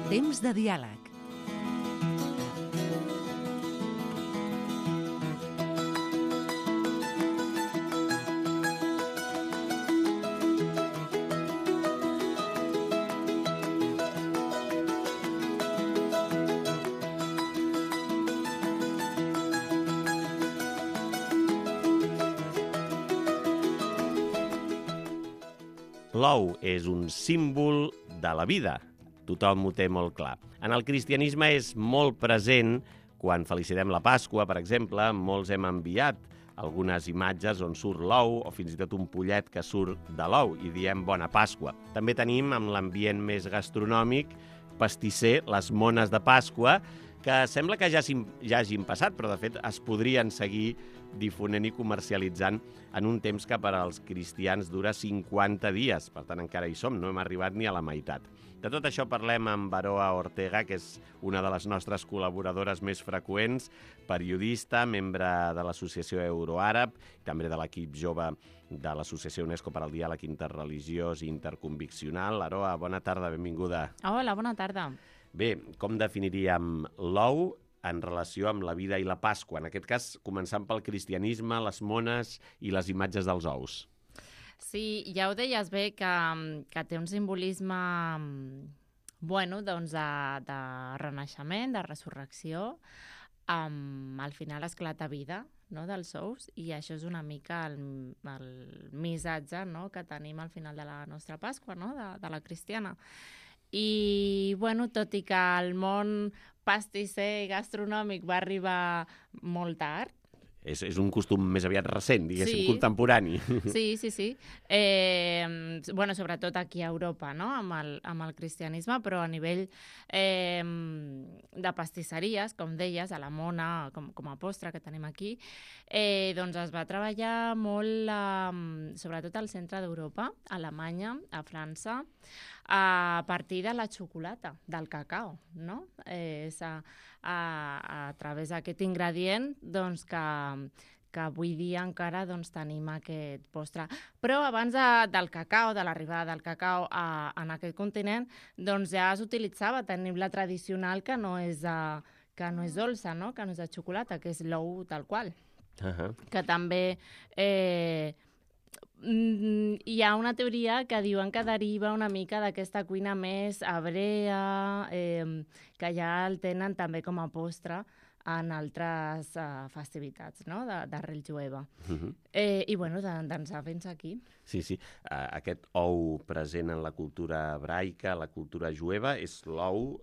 Temps de diàleg. L'ou és un símbol de la vida. Tothom ho té molt clar. En el cristianisme és molt present quan felicitem la Pasqua, per exemple. Molts hem enviat algunes imatges on surt l'ou o fins i tot un pollet que surt de l'ou i diem Bona Pasqua. També tenim, amb l'ambient més gastronòmic, pastisser, les mones de Pasqua, que sembla que ja hagin passat, però de fet es podrien seguir difonent i comercialitzant en un temps que per als cristians dura 50 dies. Per tant, encara hi som, no hem arribat ni a la meitat. De tot això parlem amb Aroa Ortega, que és una de les nostres col·laboradores més freqüents, periodista, membre de l'Associació Euroàrab, també de l'equip jove de l'Associació UNESCO per al Diàleg Interreligiós i Interconviccional. Aroa, bona tarda, benvinguda. Hola, bona tarda. Bé, com definiríem l'ou en relació amb la vida i la Pasqua? En aquest cas, començant pel cristianisme, les mones i les imatges dels ous. Sí, ja ho deies bé, que té un simbolisme doncs de renaixement, de resurrecció, al final esclata vida, no, dels ous, i això és una mica el missatge, no, que tenim al final de la nostra Pasqua, no, de la cristiana. I, tot i que el món pastisser i gastronòmic va arribar molt tard. És un costum més aviat recent, diguéssim, Sí. Contemporani. Sí. Sobretot aquí a Europa, no? amb el cristianisme, però a nivell de pastisseries, com deies, a la Mona, com a postre que tenim aquí, doncs es va treballar molt, sobretot al centre d'Europa, a Alemanya, a França, a partir de la xocolata, del cacao, no? És a través d'aquest ingredient doncs, que avui dia encara doncs, tenim aquest postre. Però abans del cacao, de l'arribada del cacao en aquest continent, doncs ja s'utilitzava, tenim la tradicional que no és dolça, no? Que no és de xocolata, que és l'ou tal qual. Que també hi ha una teoria que diuen que deriva una mica d'aquesta cuina més hebrea, que ja el tenen també com a postre en altres festivitats, no? D'arrel jueva. D'ençà fins aquí. Sí. Aquest ou present en la cultura hebraica, la cultura jueva, és l'ou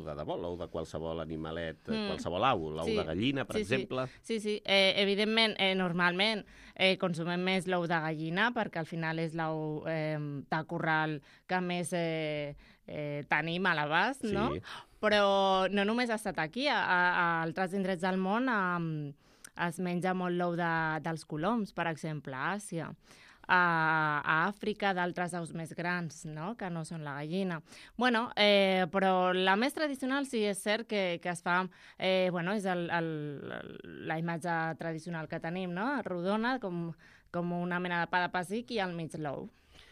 de debò, l'ou de qualsevol animalet, qualsevol au, l'ou de gallina, per exemple. Sí. Evidentment, normalment consumem més l'ou de gallina, perquè al final és l'ou de corral que més tenim a l'abast, no? Però no només ha estat aquí, a altres indrets del món es menja molt l'ou dels coloms, per exemple, a Àsia. A Àfrica, d'altres aus més grans, no? Que no són la gallina. Però la més tradicional sí és cert que es fa, és la imatge tradicional que tenim, no? Rodona, com una mena de pa de pessic i al mig l'ou.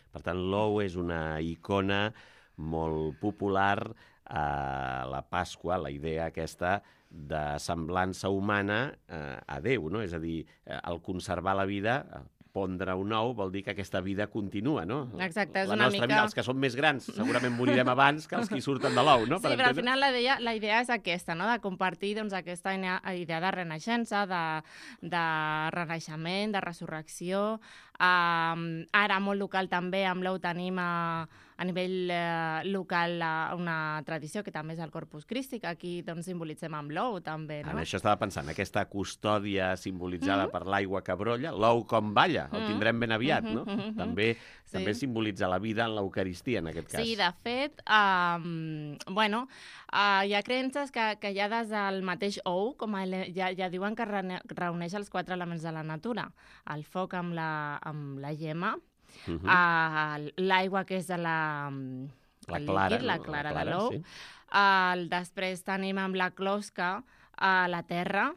Per tant, l'ou és una icona molt popular a la Pasqua, la idea aquesta de semblança humana a Déu, no? És a dir, el conservar la vida, pondre un ou, vol dir que aquesta vida continua, no? Exacte, és la una nostra mica... vida, els que som més grans, segurament morirem abans que els que hi surten de l'ou, no? Sí, però al final la idea és aquesta, no? De compartir doncs, aquesta idea de renaixença, de renaixement, de resurrecció. Ara, molt local també, amb l'ou tenim a nivell local una tradició que també és el Corpus Christi, que aquí doncs, simbolitzem amb l'ou també, no? En això estava pensant, aquesta custòdia simbolitzada per l'aigua que brolla, l'ou com balla, el tindrem ben aviat, no? També simbolitza la vida en l'Eucaristia, en aquest cas. Sí, de fet, hi ha creences que ja des del mateix ou, com ja diuen que reuneix els 4 elements de la natura, el foc amb la gemma, l'aigua, que és la clara de l'ou. Sí. Després tenim amb la closca la terra,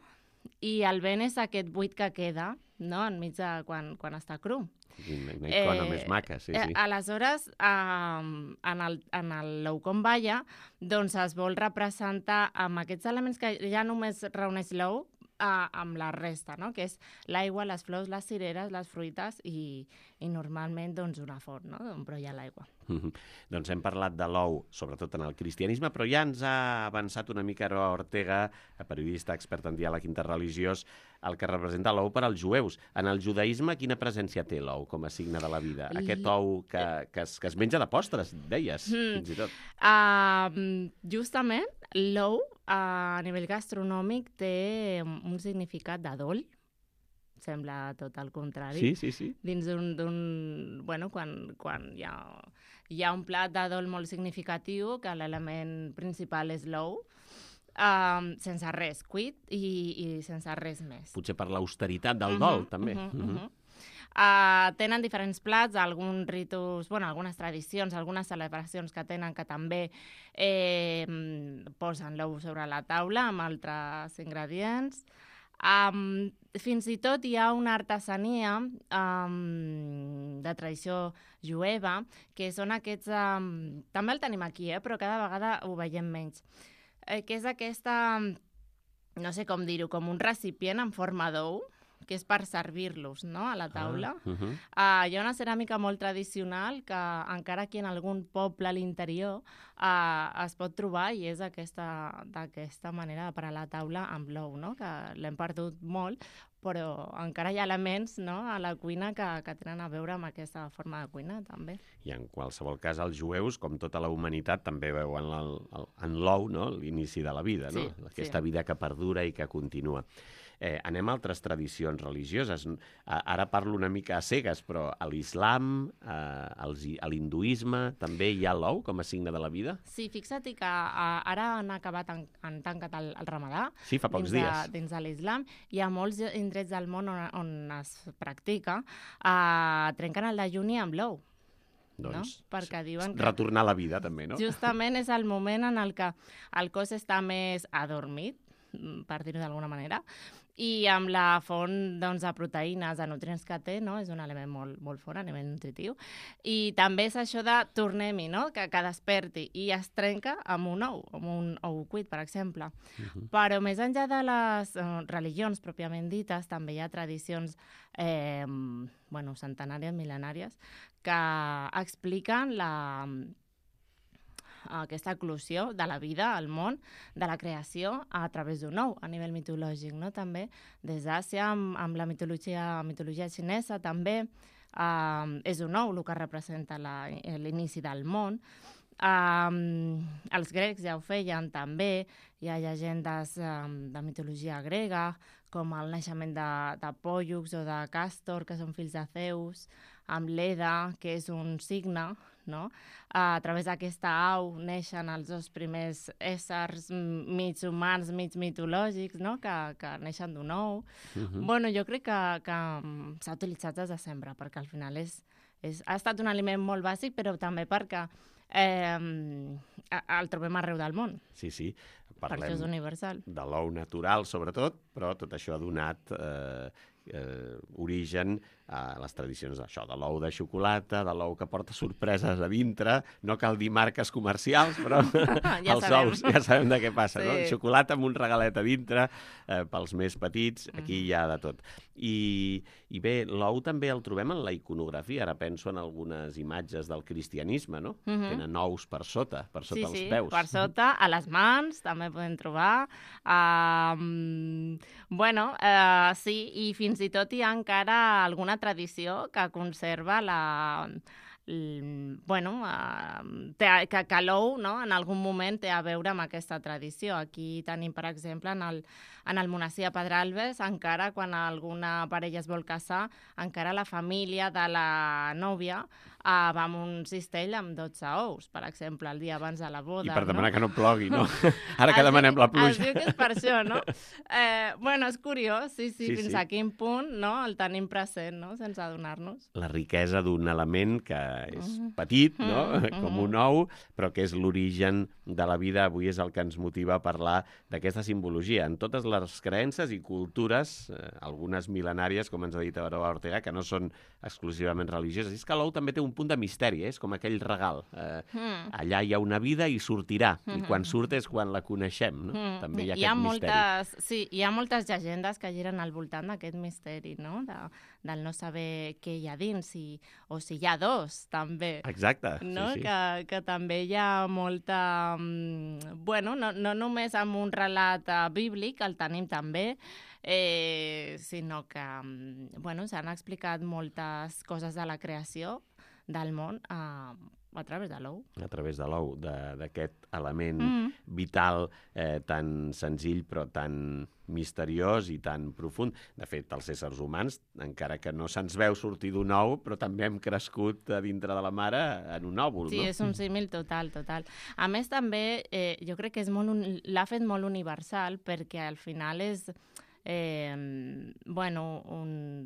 i el vent és aquest buit que queda no? Enmig de quan està cru. Una icona més maca, sí. Aleshores, en l'ou com balla, doncs es vol representar amb aquests elements que ja només reuneix l'ou, amb la resta, no? Que és l'aigua, les flors, les cireres, les fruites i normalment doncs, una font, no? Però hi ha l'aigua. Doncs hem parlat de l'ou, sobretot en el cristianisme, però ja ens ha avançat una mica Aroa Ortega, periodista expert en diàleg interreligiós, el que representa l'ou per als jueus. En el judaïsme, quina presència té l'ou com a signe de la vida? Aquest ou que es menja de postres, deies, fins i tot. Justament, l'ou, a nivell gastronòmic, té un significat d'adol. Sembla tot el contrari. Sí. Dins bueno, quan hi ha un plat d'adol molt significatiu, que l'element principal és l'ou, sense res cuit i sense res més. Potser per l'austeritat del dol, també. Tenen diferents plats, alguns ritus, algunes tradicions, algunes celebracions que tenen que també posen l'ou sobre la taula amb altres ingredients. Fins i tot hi ha una artesania de tradició jueva, que són aquests... també el tenim aquí, però cada vegada ho veiem menys. Que és aquesta, no sé com dir-ho, com un recipient en forma d'ou, que és per servir-los, no?, a la taula. Hi ha una ceràmica molt tradicional que encara aquí en algun poble a l'interior es pot trobar i és d'aquesta manera de parar la taula amb l'ou, no?, que l'hem perdut molt, però encara hi ha elements, no?, a la cuina que tenen a veure amb aquesta forma de cuina, també. I en qualsevol cas, els jueus, com tota la humanitat, també veuen en l'ou, no?, l'inici de la vida, no? Aquesta vida que perdura i que continua. Anem a altres tradicions religioses. Ara parlo una mica a cegues, però a l'islam, a l'hinduisme, també hi ha l'ou com a signe de la vida? Sí, fixa't que ara han tancat el Ramadà. Sí, fa pocs dies. Dins de l'islam. Hi ha molts indrets del món on es practica. Trenquen el dejuni amb l'ou. Doncs, no? Perquè diuen que retornar a la vida, també, no? Justament és el moment en el que el cos està més adormit, per dir-ho d'alguna manera, i amb la font de proteïnes, de nutrients que té, no? És un element molt fort a nivell nutritiu. I també és això de tornem-hi, no? que desperti, i es trenca amb un ou cuit, per exemple. Però més enllà de les religions pròpiament dites, també hi ha tradicions centenàries, mil·lenàries, que expliquen aquesta eclosió de la vida al món, de la creació a través d'un ou, a nivell mitològic, no? També des d'Àsia, amb la mitologia xinesa, també és un ou el que representa l'inici del món. Els grecs ja ho feien també, hi ha llegendes de mitologia grega, com el naixement de Pòllux o de Càstor, que són fills de Zeus, amb Leda, que és un signe, no? A través d'aquesta au neixen els dos primers éssers mig humans, mig mitològics, no? que neixen d'un ou. Bueno, jo crec que s'ha utilitzat des de sempre, perquè al final ha estat un aliment molt bàsic, però també perquè el trobem arreu del món. Sí. Per això és universal. De l'ou natural, sobretot, però tot això ha donat origen a les tradicions d'això, de l'ou de xocolata, de l'ou que porta sorpreses a dintre. No cal dir marques comercials, però els ous ja sabem de què passa, no? Xocolata amb un regalet a dintre, pels més petits, aquí hi ha de tot. I bé, l'ou també el trobem en la iconografia. Ara penso en algunes imatges del cristianisme, no? Tenen ous per sota els peus. Sí, per sota, a les mans també podem trobar. Sí, i fins i tot hi ha encara alguna tradició que conserva que l'ou, no? En algun moment té a veure amb aquesta tradició. Aquí tenim, per exemple, en el monestir de Pedralbes, encara quan alguna parella es vol casar, encara la família de la nòvia va amb un cistell amb 12 ous, per exemple, el dia abans de la boda. I per demanar que no plogui, no? Ara que demanem la pluja. Es diu que és per això, no? Bueno, és curiós, sí, fins a quin punt, no?, el tenim present, no?, sense adonar-nos. La riquesa d'un element que és petit, no?, com un ou, però que és l'origen de la vida. Avui és el que ens motiva a parlar d'aquesta simbologia. En totes les creences i cultures, algunes mil·lenàries, com ens ha dit Aroa Ortega, que no són exclusivament religioses. És que l'ou també té un punt de misteri, és com aquell regal. Allà hi ha una vida i sortirà, i quan surt és quan la coneixem, no? També hi ha aquest misteri. Sí, hi ha moltes llegendes que giren al voltant d'aquest misteri, no?, del no saber què hi ha dins, o si hi ha dos, també. Exacte, no? sí. Que també hi ha molta... Bueno, no només amb un relat bíblic, el tenim també, sinó que s'han explicat moltes coses de la creació del món a través de l'ou. A través de l'ou, d'aquest element vital tan senzill però tan misteriós i tan profund. De fet, els éssers humans, encara que no se'ns veu sortir d'un ou, però també hem crescut a dintre de la mare en un òvul, no? Sí, és un símil total. A més, també, jo crec que l'ha fet molt universal, perquè al final és...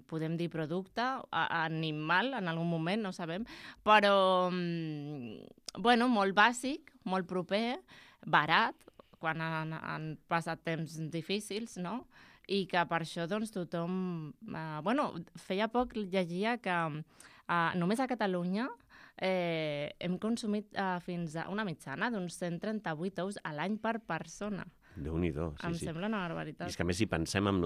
podem dir producte animal en algun moment, no sabem, però molt bàsic, molt proper, barat, quan han passat temps difícils, no? I que per això doncs, tothom... feia poc llegia que només a Catalunya hem consumit fins a una mitjana d'uns 138 ous a l'any per persona. Déu-n'hi-do, sí. Em sembla una barbaritat. I és que a més, si pensem amb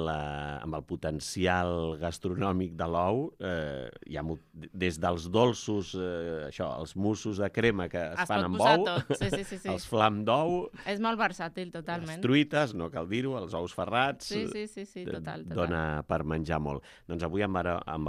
el potencial gastronòmic de l'ou, hi ha des dels dolços, els mussos de crema que es fan amb ou, sí. els flam d'ou... És molt versàtil, totalment. Les truites, no cal dir-ho, els ous ferrats... Sí, total. Dona per menjar molt. Doncs avui amb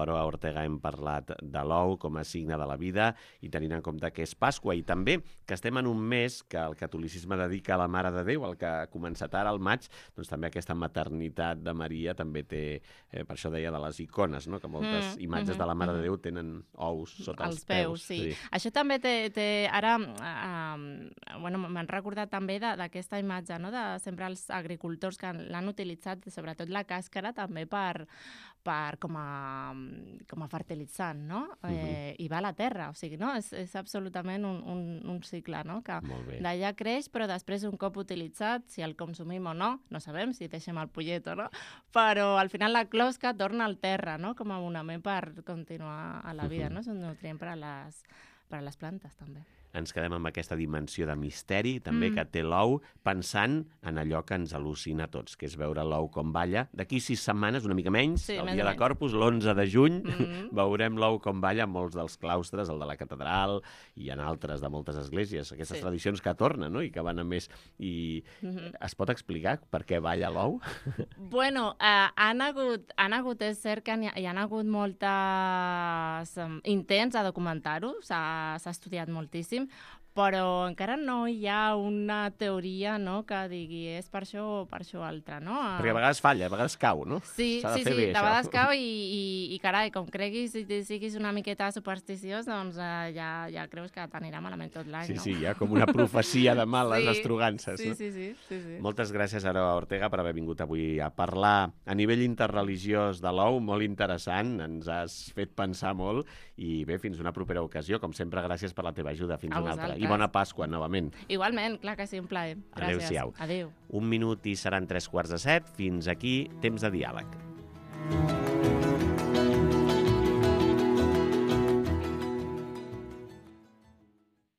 Aroa Ortega hem parlat de l'ou com a signe de la vida i tenint en compte que és Pasqua i també que estem en un mes que el catolicisme dedica a la Mare de Déu, el que començat ara al maig, doncs també aquesta maternitat de Maria també té, per això deia de les icones, no?, que moltes imatges de la Mare de Déu tenen ous sota els peus. Sí. Això també té ara, m'han recordat també d'aquesta imatge, no?, de sempre els agricultors que l'han utilitzat, sobretot la càscara, també com a fertilitzant, no? I va a la terra, o sigui, no? És absolutament un cicle, no?, que d'allà creix, però després un cop utilitzat, si el consumim o no sabem si deixem el pollet o no, però al final la closca torna al terra, no?, com a abonament per continuar a la vida, no? És un nutrient per a les plantes, també. Ens quedem amb aquesta dimensió de misteri, també, que té l'ou, pensant en allò que ens al·lucina a tots, que és veure l'ou com balla. D'aquí 6 setmanes, una mica menys, el dia de Corpus, l'11 de juny, veurem l'ou com balla en molts dels claustres, el de la catedral i en altres de moltes esglésies. Aquestes tradicions que tornen, no?, i que van a més. I es pot explicar per què balla l'ou? Bueno, han hagut, és cert que hi han hagut moltes intents a documentar-ho, s'ha estudiat moltíssim, però encara no hi ha una teoria, no?, que digui és per això o per això altre, no? Perquè a vegades falla, a vegades cau, no? Sí, de vegades cau i carai, com creguis i siguis una miqueta supersticiós, doncs ja creus que t'anirà malament tot l'any, no? Sí, hi ha com una profecia de males estrugances, no? Sí. Moltes gràcies, Aroa Ortega, per haver vingut avui a parlar a nivell interreligiós de l'ou, molt interessant, ens has fet pensar molt, i bé, fins una propera ocasió. Com sempre, gràcies per la teva ajuda. Fins una altra. I bona Pasqua, novament. Igualment, clar que sí, un plaer. Gràcies. Adéu-siau. Adéu. 1 minut i seran 3:15. Fins aquí, Temps de Diàleg.